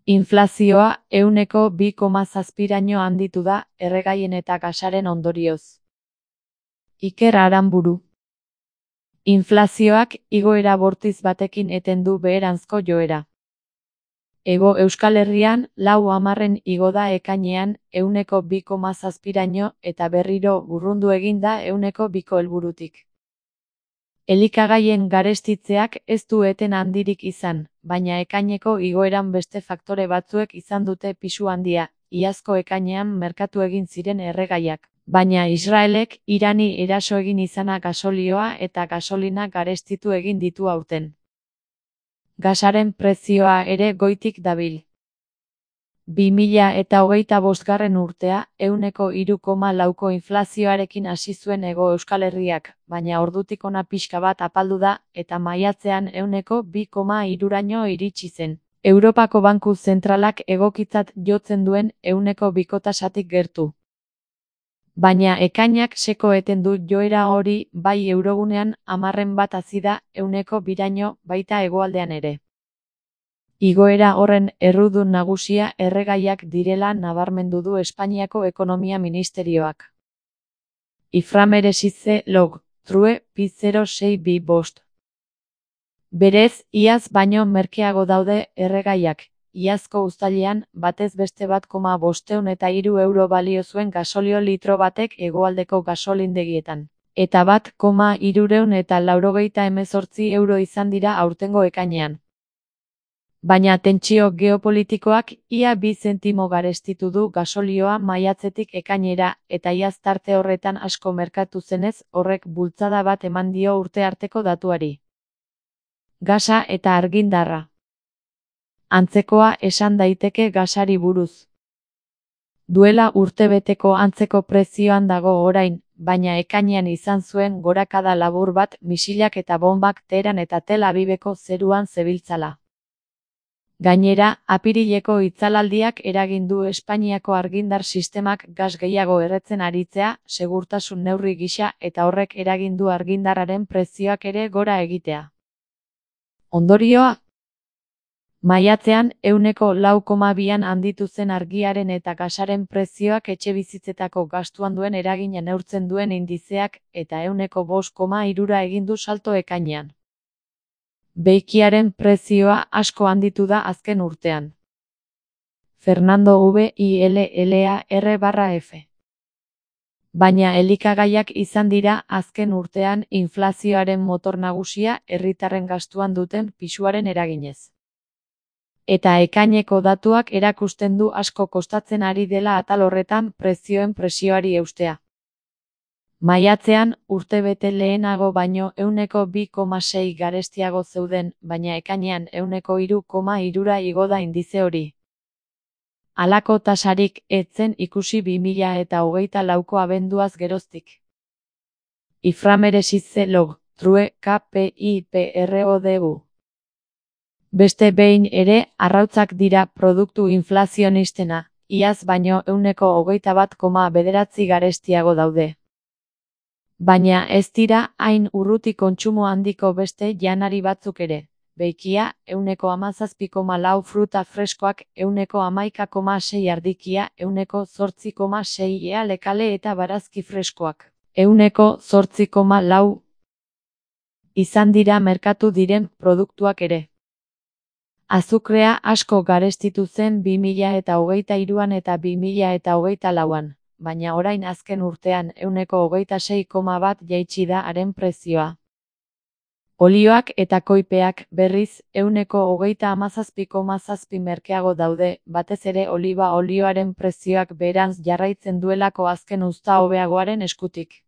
Inflazioa 2,7%raino handitu da erregaien eta gasaren ondorioz. Iker Aranburu. Inflazioak igoera bortiz batekin eten du beheranzko joera. Hego Euskal Herrian 4% igo da ekainean 2,7%raino eta berriro urrundu egin da 2% helburutik. Elikagaien garestitzeak ez du eten handirik izan, baina ekaineko igoeran beste faktore batzuek izan dute pisu handia, iazko ekainean merkatu egin ziren erregaiak, baina Israelek Irani eraso egin izana gasolioa eta gasolina garestitu egin ditu aurten. Gasaren prezioa ere goitik dabil. 2025 urtea 3,4ko inflazioarekin hasi zuen Hego Euskal Herriak, baina ordutik hona pixka bat apaldu da eta maiatzean 2,3raino iritsi zen. Europako Banku Zentralak egokitzat jotzen duen 2ko tasatik gertu. Baina ekainak seko eten du joera hori bai eurogunean 10% hazi da 2raino baita hegoaldean ere. Igoera horren errudun nagusia erregaiak direla nabarmendu du Espainiako Ekonomia Ministerioak. Iframeresitze log, true, P0625. Berez, iaz baino merkeago daude erregaiak. Iazko uztailean, batez beste 1,503 euro balio zuen gasolio litro batek hegoaldeko gasolindegietan. Eta 1,388 euro izan dira aurtengo ekainean. Baina tentsio geopolitikoak ia 2 zentimo garestitu du gasolioa maiatzetik ekainera eta iaz tarte horretan asko merkatu zenez horrek bultzada bat eman dio urte arteko datuari. Gasa eta argindarra. Antzekoa esan daiteke gasari buruz. Duela urtebeteko antzeko prezioan dago orain, baina ekainean izan zuen gorakada labur bat misilak eta bombak Teheran eta Tel Aviveko zeruan zebiltzala. Gainera, apirileko itzalaldiak eragin du Espainiako argindar sistemak gas gehiago erretzen aritzea, segurtasun neurri gisa eta horrek eragin du argindarraren prezioak ere gora egitea. Ondorioa? Maiatzean 4,2an handitu zen argiaren eta gasaren prezioak etxebizitzetako gastuan duen eragina neurtzen duen indizeak eta 5,3ra egin du salto ekainean. Beikiaren prezioa asko handitu da azken urtean. Fernando VILLAR/F. Baina elikagaiak izan dira azken urtean inflazioaren motor nagusia herritarren gastuan duten pisuaren eraginez. Eta ekaineko datuak erakusten du asko kostatzen ari dela atal horretan prezioen presioari eustea. Maiatzean, urtebete lehenago baino 2,6 garestiago zeuden, baina ekainean 3,3ra igo da indize hori. Halako tasarik ez zen ikusi 2024ko abenduaz geroztik. Iframeresitze log, true, KPIPRODU. Beste behin ere, arrautzak dira produktu inflazionistena, iaz baino 21,9 garestiago daude. Baina ez dira hain urruti kontsumo handiko beste janari batzuk ere. Beikia, 17,4 fruta freskoak, 11,6 ardikia, 8,6 lekale eta barazki freskoak, 8,4 izan dira merkatu diren produktuak ere. Azukrea asko garestitu zen 2023an eta 2024an. Baina orain azken urtean 26,1 jaitsi da haren prezioa. Olioak eta koipeak berriz 37,7 merkeago daude, batez ere oliba olioaren prezioak beherantz jarraitzen duelako azken uzta hobeagoaren eskutik.